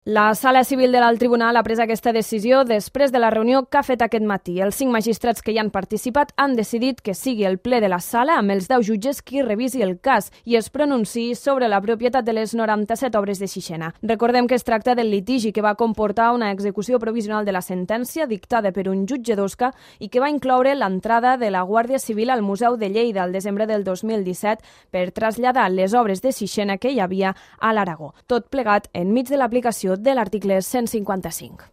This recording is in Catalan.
La Sala Civil de l'Alt Tribunal ha pres aquesta decisió després de la reunió que ha fet aquest matí. Els 5 magistrats que hi han participat han decidit que sigui el ple de la sala amb els 10 jutges qui revisi el cas i es pronunciï sobre la propietat de les 97 obres de Sixena. Recordem que es tracta del litigi que va comportar una execució provisional de la sentència dictada per un jutge d'Osca i que va incloure l'entrada de la Guàrdia Civil al Museu de Lleida al desembre del 2017 per traslladar les obres de Sixena que hi havia a l'Aragó. Tot plegat enmig de l'aplicació de l'article 155.